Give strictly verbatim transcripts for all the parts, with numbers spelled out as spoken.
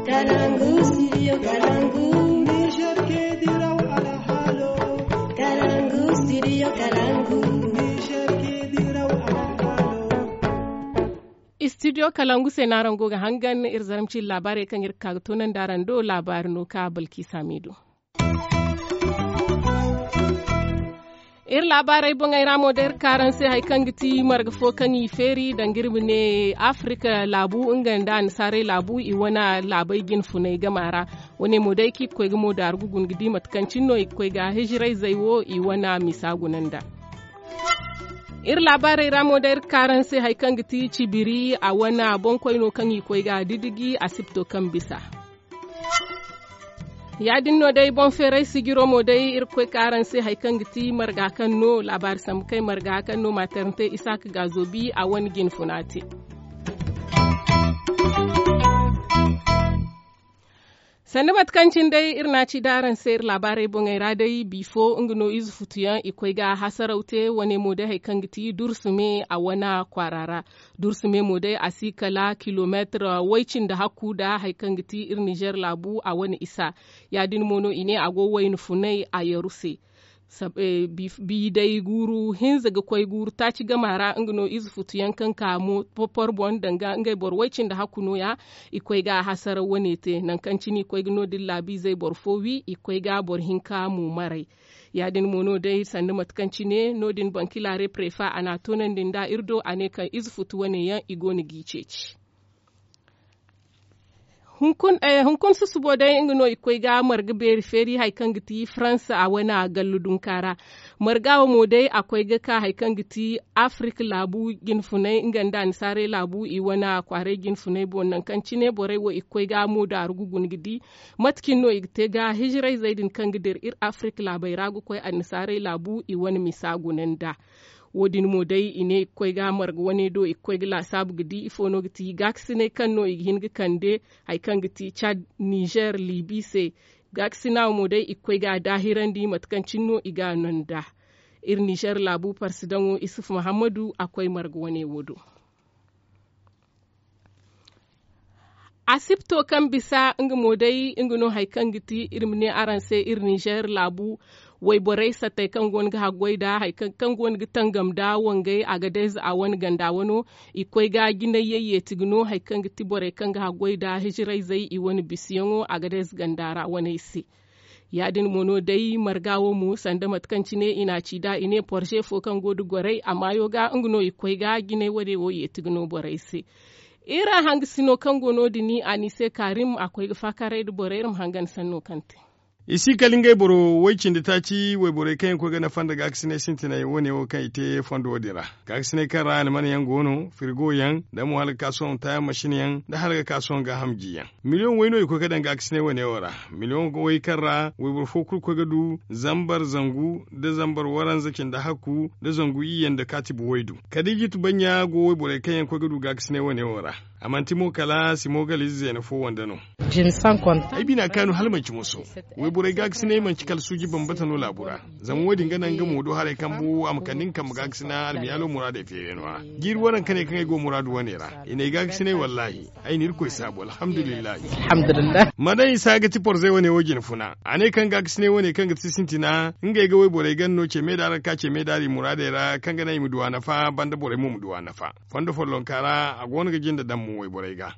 Kalangu, studio Kalangu. Niger ke diraw alhalo. Kalangu, studio Kalangu. Niger ke diraw alhalo. Studio Kalangu se no araŋ go ga hangan iri zarma cindi laabaarey kaŋ iri ga ka ga toonandi araŋ do. Laabaari no ka Balkisa Miido. Iri laabaarey boŋey ra mo day iri kaaraŋ se hari kaŋ ga ti marga fo kaŋ i feeri danga iri ma ne afirika laabu nga nda annasaarey laabu i wane laabey jinfunay gama ra. Wane mo day kaŋ i ga koy ga mo daaru ga guna ga di mate kaŋ cine no i ga koy ga hijirayzey wo i wane misa guna nda. Iri laabaarey ra mo day iri kaaraŋ se hari kaŋ ga ti cibiri a wane boŋkoy no kaŋ i ga koy ga didiji asibto kaŋ bisa. Ya- din no day boŋ feeray sijiro mo day iri ga koy ka araŋ se hari kaŋ ga ti marga kaŋ no laabaari sambu kay marga kaŋ no maatarante isaaka gaazobi a wane jinfuna te. Sanda mate kaŋ cine day iri na a ci da araŋ se iri laabaarey boŋey ra day bifo nga no ize futuyaŋ i koy ga hasaraw te wane mo day hari kaŋ ga ti dursume a wane kwaara ra. Dursume mo day a si kala kilomeetir way- cindi hakku nda hari kaŋ ga ti iri nizer laabu a wane isa. Ya- din mo no i ne a go wayna funay a yaru se. Bi day guuru hinza ga koy guuru taaci gama ra nga no ize futuyaŋ kaŋ ka mo porpor boŋ danga ngey boro way- cindi hakku nooya. I koy ga a hasaraw wane te nangu kaŋ cine i koy ga no- din laabiizey boro fo wi i koy ga boro hinka mo maray. Ya- din mo no day sanda mate kaŋ cine no- din bankilaare prefa a na a toonandi nd'a iri do a ne kaŋ ize futu wane yaŋ i go no g'i ceeci. Hunkuna susubo day nga no i ga koy ga marga beeri feeri hari kaŋ ga ti faransa a wane a gallu dunka ra. Marga wo mo day a koy ga ka hari kaŋ ga ti afirik laabu jinfunay nga nda annasaarey laabu i wane kwaaray jinfunay boŋ nangu kaŋ cine borey wo i ga koy ga mo daaru ga guna ga di mate cine no i ga te ga hijirayzey din kaŋ ga dira iri afirik laabey ra ga koy annasaarey laabu i wane misa guna nd'a. Wo- din mo day i ne i ga koy ga marga wane do i ga koy ga laasaabu ga di ifo no ga ti gaakasinay kaŋ no i ga hin ga kande hari kaŋ ga ti cad, nizer libi se. Gaakasina wo mo day i ga koy ga a daahirandi mate kaŋ cine no i ga a no nd'a. Iri nizer laabu parsidaŋo isuf muhammadu a koy marga wane wo do. Asibto kaŋ bisa nga mo day nga no hari kaŋ ga ti iri ma ne araŋ se iri nizer laabu wayborey sattey kaŋ go no ga haggoy nda hari kaŋ go no ga tangam nda wangay agadez a wane ganda wano. I ga koy ga jinay yayyeeti ga no hari kaŋ ga ti borey kaŋ ga haggoy nda hijirayzey i wane bisiyaŋo agadez ganda ra waney se. Ya- din mo no day marga wo mo sanda mate kaŋ cine i na a ci nd'a i ne porze fo kaŋ go nda gorey a maayo ga nga no i ga koy ga jinay wane wo yeeti ga no borey se. Iri hangasino kaŋ go no- din a n'i se kaarim a koy ga faakaaray nda borey iri ma hangan sanno kaŋ te. I si kala ngey boro way- cindi taaci wayborey kaŋ yaŋ ga koy ga nafa nda gaakasinay sintinay wane wo kaŋ i te fondo wo- din ra. Gaakasinay kaŋ ra almanyaŋ go no firigo yaŋ nda mo hala ga ka sohõ taayaŋ masin yaŋ nda hala ga ka sohõ gaaham jiyaŋ. Miliyoŋ way no i ga koy ga daŋ gaakasinay wane wo ra. Miliyoŋ way kaŋ ra wayboro fo kulu ga koy ga du zambar zangu nda zambar waranza cindi hakku nda zangu iyye nda kaatibu waydu. Kadiijatu baɲɲa go wayborey kaŋ yaŋ ga koy ga du gaakasinay wane wo ra. A manti mo kala simogalize zeena fo wande no. Ay bina kaanu hala manci moso. Wayborey gaakasinay manci kala suuji bambata no laabu ra. Zama wo- din ga naŋ nga mo do haray kambu a ma kande nga kambe gaakasina almiyaalo muraadey feerayno ra. Jiiri waranka ne kaŋ ay go muraadu wane ra i n'ay gaakasinay wallaahi. Ay na irkoy saabu alhamdulillahi. Ma daŋ i se a ga ti porzey wane wo jine funa a ne kaŋ gaakasinay wane kaŋ ga ti sintina ngey ga wayborey gana no ce me daari ra ka ce me daari muraadey ra kaŋ ga naŋ i ma du a nafa banda borey mo ma du a nafa. Fondo follonka ra a go no ga jinde daŋ mo wayborey ga.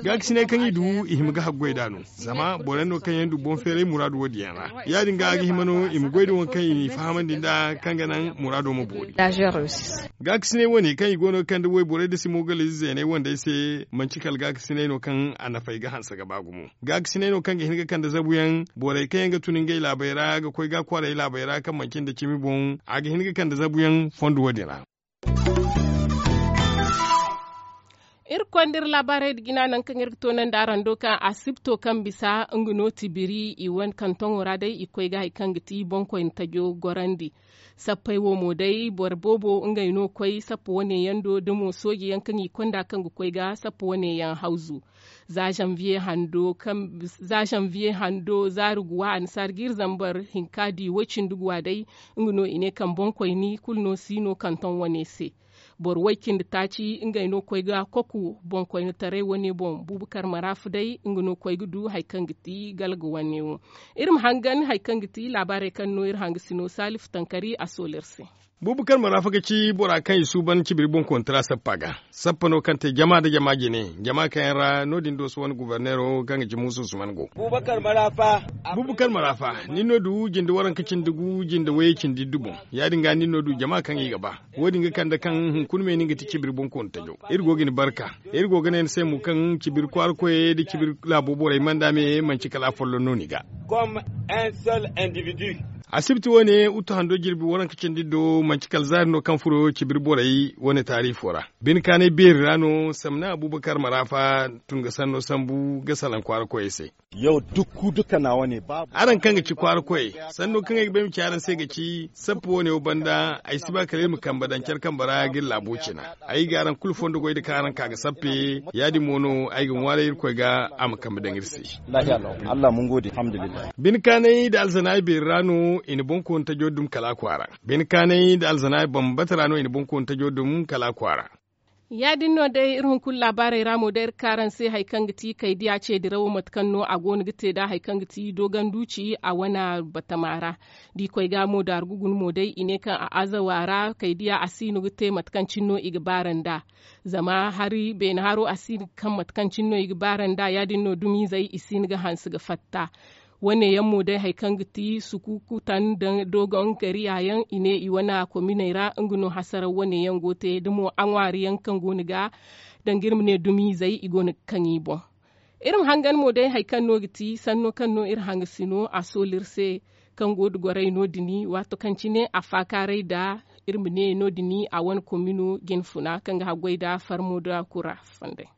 Gaakasinay kaŋ i du i hima ga haggoy nd'a no. Zama borey no kaŋ yaŋ du boŋ feeray muraadu wo- din yaŋ ra. Ya- din ga a ga hima no i ma goy nda waŋ kaŋ i n'i fahamandi nd'a kaŋ ga naŋ muraado ma boori. Gaakasinay wane kaŋ i go no ga kande wayborey nda simogalize zeeney wandey se manci kala gaakasinay no kaŋ a nafey ga hanse ga ba gumo. Gaakasinay no kaŋ ga hin ga kande zabuyaŋ borey kaŋ yaŋ ga tun ngey laabey ra ga koy ga kwaarey laabey ra kaŋ manci nda cimi boŋ a ga hin ga kande zabuyaŋ fondo wo- din ra. Iri konda iri laabaarey nda jina nangu kaŋ iri ga toonandi araŋ do kaŋ asibto kaŋ bisa nga no tibiri i wane kantoŋo ra day i ga koy ga hari kaŋ ga ti boŋkoyne tajo gorandi. Sappey wo mo day boro boobo ngey no koy sappa wane yaŋ do da mo sooje yaŋ kaŋ i konda kaŋ ga koy ga sappa wane yaŋ hawzu. Za zanviye hando kaŋ za zanviye hando zaari guwa annasaara ga iri zambar hinka di way- cindi guwa day. Nga no i ne kaŋ boŋkoyni kulu no si no kantoŋ wane se. Boro way cindi taaci ngey no koy ga koku boŋkoynetaray wane boŋ. Bubakar maraafa day nga no koy ga du hari kaŋ ga ti galga wane wo. Iri ma hangan hari kaŋ ga ti laabaarey kaŋ no iri hanga sino salifu tankari a soolu iri se. Bubakar maraafa ga ci bora kaŋ i suuban cibiri boŋkoonetara sappa ga. Sappa no kaŋ te jama nda jama jine jama kaŋ yaŋ ra no- din dooso wane guberneero kaŋ ga ci muusa usman go. Bubakar maraafa nin no du jinde waranka cindi gu jinde wayey cindi iddu boŋ. Ya- din ga nin no du jama kaŋ i ga ba. Wo- din ga kande kaŋ hunkuna me no ni ga ti cibiri boŋkooni tajo. Iri go ga ni barka. Iri go ga ne ni se mo kaŋ cibiri kwaara koyey nda cibiri laabo borey manda me manci kala afolloŋ no ni ga. Asibti wane uttu hando jirbi waranka cindi do manci kala zaari no kaŋ furo cibiri borey wane taariifo ra. Bine kaanay beeri ra no samna abubakar maraafa tun ga sanno sambu ga salaŋ kwaara koyey se. Araŋ kaŋ ga ci kwaara koyey, sanno kaŋ ay ga ba ay ma ci araŋ se ga ci sappa wane wo banda ay si ba kala iri ma kambe daŋ care kambe ra ga iri laabo cina. Ay ga araŋ kulu fondo goy nda kaŋ araŋ ka ga sappe. Ya- din mo no ay ga ŋwaaray irkoy ga a ma kambe daŋ iri se. Bine kaanay nda alzanaay beeri ra no i na boŋkooni tajo dum kala a kwaara. Bine kaanay nda alzanaay bambata ra no i na boŋkooni tajo dum kala a kwaara. Ya- din no day iri hunkuna laabaarey ra mo day iri ka araŋ se hari kaŋ ga ti kaydiya ce dirawo mate kaŋ no a go no ga te nd'a hari kaŋ ga ti dooganduuci a wane batama ra. Da i koy ga mo daaru ga guna mo day i ne kaŋ a azawa ra kaydiya a si no ga te mate kaŋ cine no i ga baara nd'a. Zama hari beene haro a si no ga kaŋ mate kaŋ cine no i ga baara nd'a ya- din no dumiizey i si no ga hanse ga fatta. Wane yaŋ mo day hari kaŋ ga ti sukukutan da doogon gariya yaŋ i ne i wane kominey ra nga no hasaraw wane yaŋ go te da mo aŋwaari yaŋ kaŋ go no ga danga iri ma ne dumiizey i go no ga kaŋ i boŋ. Iri ma hangan mo day hari kaŋ no ga ti sanno kaŋ no iri hanga sino a soolu iri se kaŋ go da gorey no- din waato kaŋ cine a faakaaray nda iri ma ne no- din a wane komino jinfuna kaŋ ga haggoy nda farmo nda kura fonday.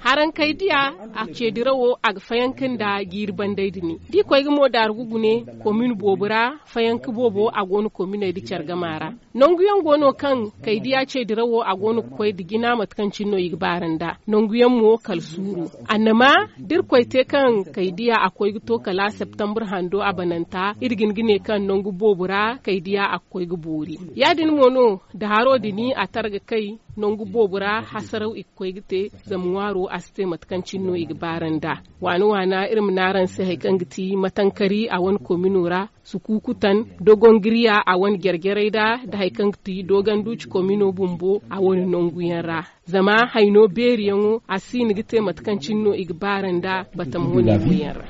Harankey diya a ce dirawo a ga fayanka nda jiiri bandey din da i koy ga mo daaru ga gune komin boobo ra. Fayanka boobo a go no kominey nda care gama ra. Nangu yaŋ go no kaŋ kaydiya ce dirawo a go no ga koy nda jina mate kaŋ cine no i ga baara nd'a. Nangu yaŋ mo kala suuru. Annama da iri koy te kaŋ kaydiya a koy ga to kala septambur hando a bananta iri ga hin ga ne kaŋ nangu boobo ra kaydiya a ga koy ga boori. Ya- din mo no da haro din a tara ga kay nangu boobo ra hasaraw i ga koy ga te. Zama ŋwaaro a si te mate kaŋ cine no i ga baara nd'a. Waana waana iri ma ne araŋ se hari kaŋ ga ti matankari a wane komino ra, sukukutan, dogongiriya a wane jare-jarey ra nda hari kaŋ ga ti dooganduuci komino bumbo a wane nangu yaŋ ra. Zama hayno beeri yaŋo a si no ga te mate kaŋ cine no i ga baara nd'a batama wane yaŋ ra.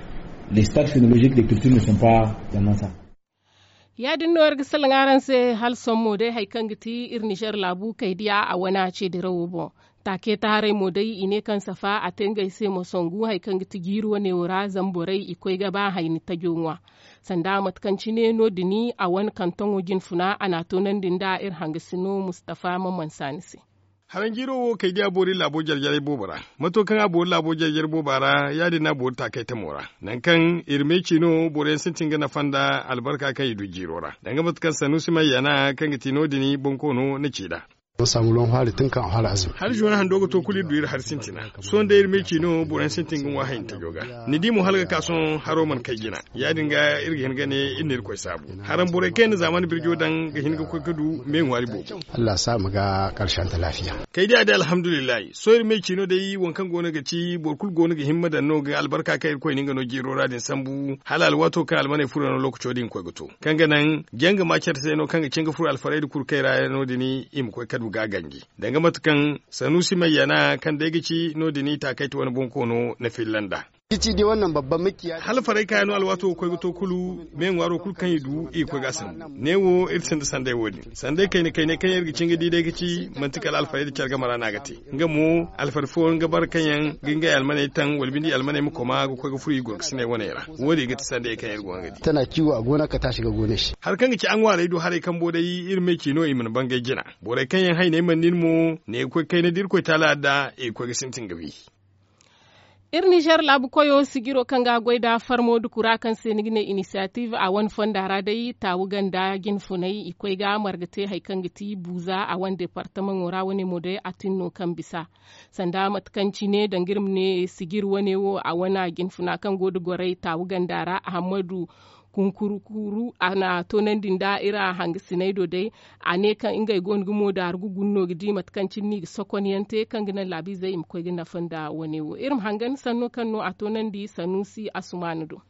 Ya- din no iri ga salaŋ araŋ se hala sohõ mo day hari kaŋ ga ti iri nizer laabu kaydiya a wane a ce dirawo boŋ. Taakey taharay mo day i ne kaŋ safa a te ngey se ma songu hari kaŋ ga ti jiiri wane wo ra zama borey i koy ga ba hayni tajo ŋwa. Sanda mate kaŋ cine no- din a wane kantoŋo jinfuna a n'a toonandi nda iri hangasino mustafa maman saani se. Haranjiiro wo kaydiya boori laabo jare-jarey boobo ra. Mato kaŋ a boori laabo jare-jare booba ra ya- din no a boori taakey tamo ra. Nangu kaŋ iri me ciino boro yaŋ sintin ga nafa nda albarka kaŋ i du jiiro ra danga mate kaŋ sanuusi mayyana kaŋ ga ti no- din bonkoono na ci nd'a. Hala zuwan hando ga to kulu iri du iri hari sintina. Sohõ day iri me ciino boro yaŋ sintin ga ŋwa hayni tajo ga. Ni di mo hala ga ka sohõ haro mana kay jina. Ya- din ga iri ga hin ga ne iri na irkoy saabu. Haraŋ borey kaŋ yaŋ na zaamani birjo daŋ ga hin ga koy ga du me ŋwaari boobo. Allah sa ma ga karsanta laafiya. Kay day a day alhamdulillahi sohõ iri me ciino day waŋ kaŋ go no ga ci boro kulu go no ga himma daŋ no ga albarka kaŋ irkoy na nga no jiiro ra din sambu. Hala alwaato kaŋ almaney furo no lookaco din koy ga to kaŋ ga naŋ janga ma care se no kaŋ ga cin ga furo alfarayda kulu kay ra no- din i ma koy ka du ga ganji. Danga mate kaŋ sanuusi mayyana kaŋ day ga ci no- din i taakayte wane bonkoono na filla nd'a. Hala farey kaaya no alwaato ga koy ga to kulu me ŋwaaro kulu kaŋ i du i ga koy ga a sambu. Ne wo iri sinda sanday wo- din sanday kayna kaynay kaŋ yaŋ iri ga cin ga di day ga ci manti kala alfarayda care game ra no a ga te. Nga mo alfari fooyaŋ ga bara kaŋ yaŋ ga ngey almaney taŋ wala bindi almaney ma koma ga koy ga furo i gorkasiney waney ra. Wo- din ga ti sanday kaŋ yaŋ iri go ga di. Tana ciwo a go no a ga taasi ga goonay se. Hari kaŋ ga ci a ŋwaarey do haray kambo day iri me ciino i mana bangay jina. Borey kaŋ yaŋ hayney mana nin mo ne ga koy kayna da irkoy taala adda i ga koy ga sintin ga wi. Iri nizer laabu koyo sijiro kaŋ ga a goy nda farmo duku ra kaŋ se ni ga ne inisiyatif a wane fonda ra day taawu ganda jinfunay i koy ga marga te hari kaŋ ga ti buuza a wane departamaŋo ra wane mo day a tun no kaŋ bisa. Sanda mate kaŋ cine danga iri ma ne sijir wane wo a wane jinfuna kaŋ go nda gorey taawu ganda ra ahammadu Kunkuru kuuru a na toonandi nda iri hangasiney do day. A ne kaŋ ngey go no ga mo daaru ga guna no ga di mate kaŋ cine no i ga sokonyaŋ te kaŋ ga naŋ laabiizey i ma koy ga nafa nda wane wo iri ma hangan sanno kaŋ no a toonandi sanuusi asumaana do.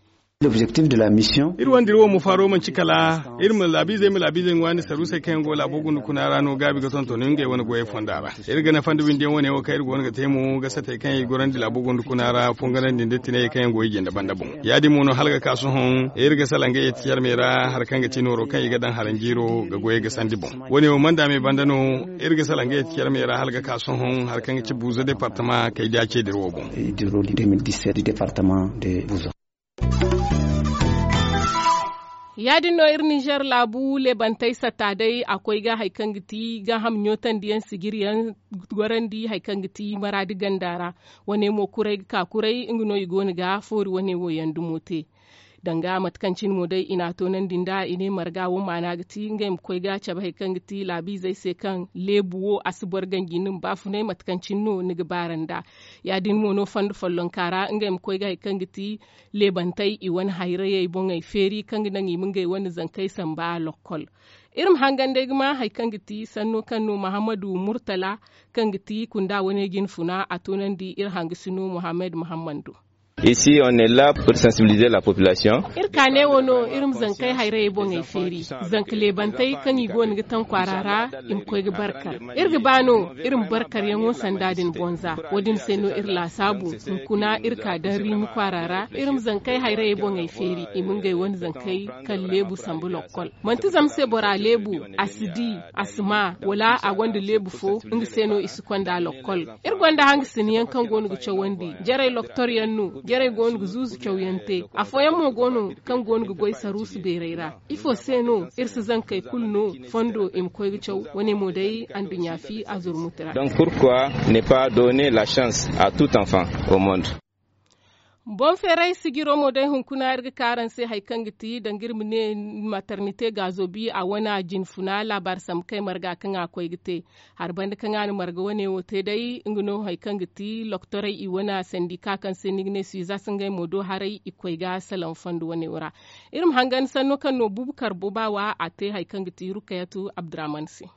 Iri wandiro wo ma faaro manci kala iri ma laabiizey ma laabiizey ŋwaani saruusey kaŋ yaŋ go laabo gunda kuna ra no gaabi ga tonton ngey wane goyey fonda ra. Iri ga nafa nda windiyaŋ wane wo kaŋ iri go no ga te mo ga satey kaŋ yaŋ i gorandi laabo gunda kuna ra fongarandi nda tinayey kaŋ yaŋ go i jinde banda boŋ. Ya- din mo no hala ga ka sohõ iri ga salaŋ ga yeeti carmey ra hari kaŋ ga ti nooro kaŋ i ga daŋ haranjiiro ga goyey ga sandi boŋ. Wane wo mana daamey banda no iri ga salaŋ ga yeeti carmey ra hala ga ka sohõ hari kaŋ ga ti buuza departama kay da ceediri wo boŋ. Ya- din no iri ninzeer laabu leebantey satta day a koy ga hari kaŋ ga ti gaaham ɲootandi yaŋ sijiri yaŋ gorandi hari kaŋ ga ti maraadi ganda ra. Wane mo kuray ga ka kuray nga no i go no ga foori wane wo yaŋ dumo te. Danga mate kaŋ cine mo day i n'a toonandi nda i ne marga wo maana ga ti ngey ma koy ga cabe hari kaŋ ga ti laabiizey se kaŋ leebu wo a si boro ganji ni ma baafunay mate kaŋ cine no ni ga baara nda. Ya- din mo no fondo follonka ra ngey ma koy ga hari kaŋ ga ti leebantey i wane hayrayey boŋey feeri kaŋ ga naŋ i ma ngey wane zankey samba lokkol. Iri ma hangan day ga ma hari kaŋ ga ti sanno kaŋ no mahammadu murtala kaŋ ga ti kunda wane jinfuna a toonandi iri hangasino muhammad muhammad do. Isi on est la pour sensibiliser la population. Iri ka ne wo no iri ma zankey hayrayey boŋey feeri. Zanka leebantey kaŋ i go no ga taŋ kwaara ra i ma koy ga barkar. Iri ga ba no iri ma barkaryaŋo sanda din bonza. Wo- din se no iri laasaabu hunkuna iri ka daŋ riimi kwaara ra iri ma zankey hayrayey boŋey feeri i ma ngey wane zankey kaŋ leebu sambu lokkol. Manti zama se bora leebu a si di a si maa wala a gonda leebu fo nga se no i si konda lokkol. Iri gonda hangasinayaŋ kaŋ go no ga cawandi jarey loktoryaŋ no jarey go no ga zuuzu cawyaŋ te. Afooyaŋ mo go no kaŋ go no ga goy saruusu beerey ra. Ifo se no iri si zankey kulu no fondo i ma koy ga caw? Wane mo day anduɲɲa fi a zurmuti ra. Donc pourquoi ne pas donner la chance à tout enfant au monde? Boŋ feeray sijiro mo day hunkuna iri ga ka araŋ se hari kaŋ ga ti danga iri ma ne maternite gaazo bi a wane jinfuna laabaari sambu kay marga kaŋ a koy ga te. Hari banda kaŋ a na marga wane wo te day nga no hari kaŋ ga ti loktorey i wane sandika kaŋ se ni ga ne suizas ngey mo do haray i koy ga salaŋ fondo wane wo ra. Iri ma hangan sanno kaŋ no buubu karbo ba wa a te hari kaŋ ga ti rukayatu abdurahman se.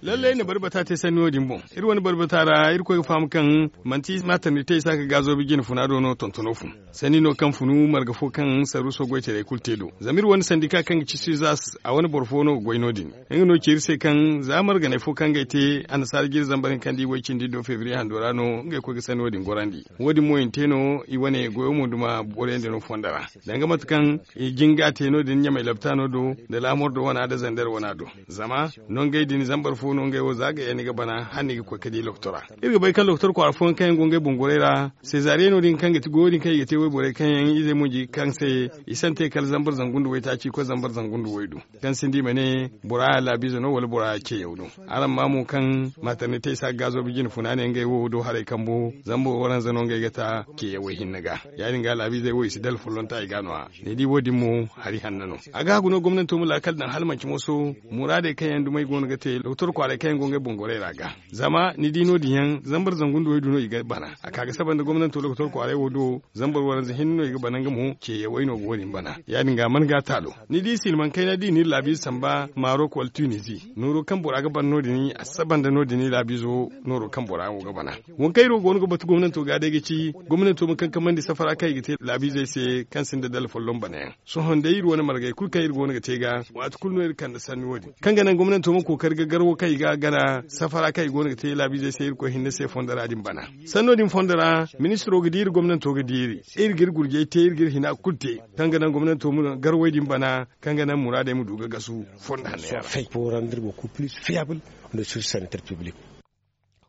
Lallai na barbata te sanni wo- din boŋ. Iri wane barbata ra iri koy ga faham kaŋ manti maatandi te i si a ga gaazo bi jine funa do no tontono fun. Sanni no kaŋ funu marga fo kaŋ saruuso goytaray kulu te do zama iri wane sandika kaŋ ga ci suizas a wane boro fo no ga goy no- din. Nga no ci iri se kaŋ za marganay fo kaŋ ga ay te annasaara jiri zambar hinka nda i way cindi do febriye hando ra no ngey koy ga sanni wo- din gorandi. Wo- din mo i na te no i wane goyo mo duma boroyaŋ din no fondo ra. Danga mate kaŋ i jin ga a te no- din ɲamay laptaano do nda laamor do wana nda zander wana do. Zama nongey din zambar fo no ngey wo za ga yaŋ ni ga bana hala ni ga koy ga di loktora. Iri ga bay kaŋ loktor kwaara fooyaŋ kaŋ yaŋ go ngey boŋ gorey ra sezaariyano din kaŋ ga ti goyo din kaŋ i ga te wayborey kaŋ yaŋ izey mo ji kaŋ se i sante kala zambar zangu nda waytaaci koy zambar zangu nda waydu. Kaŋ sinda i ma ne bora laabiize no wala bora ceeyaw no. Araŋ ma mo kaŋ maaternitey si a ga gaazo bi jine funa ne ngey wo do haray kambo zambar waranza no ngey ga ta ceeyawey hinne ga. Ya- din ga laabiizey wo i si dala follonta i ga no- ya ni di wo- din mo hari hanna no. A ga hagu no gomnanto ma laakal daŋ hala manci moso muraadey kaŋ yaŋ dumey go no ga te doktor kwaaray kaŋ yaŋ go ngey boŋ gorey ra ga. Zama ni di no- din yaŋ zambar zangu nda waydu no i ga bana a ka ga saba nda gomnanto doktor kwaaray wo do. Zambar waranza hinne no i ga bana nga mo ceeyawey no ga wo- din bana. Ya- din ga man ga taalo ni di silmaŋ kayna da i na iri laabiize samba marok wala tunizi nooro kaŋ bora ga bana no- din a saba nda no- din laabiizo nooro kaŋ bora wo ga bana. Waŋ kaŋ iri wo go no ga batu gomnanto ga day ga ci gomnanto ma kankamandi safara kaŋ i ga te laabiizey se kaŋ sinda dala folloŋ bana yaŋ. Sohõ day iri wane margey kulu kaŋ iri go no ga te ga waati kulu no iri kande sanni wo- din kaŋ ga naŋ gomnanto ma kookari ga gar wo kaŋ i ga gana safara kaŋ i go no ga te laabiizey se irkoy hinne se fondo ra din bana. Sanno din fondo ra ministiro ga diiri gomnanto ga diiri iri ga iri gurjey te iri ga iri hina kulu te kaŋ ga naŋ gomnanto ma gar way din bana kaŋ ga naŋ muraadey ma du ga gasu fondo hanno yaŋ ra.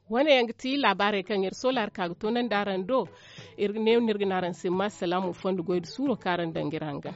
Wane yaŋ ga ti laabaarey kaŋ iri sola hari ka ga toonandi araŋ do. Iri ga ne no iri ga ne araŋ se ma salaamu fondo goy da suuro kaŋ araŋ daŋ ga iri hangan.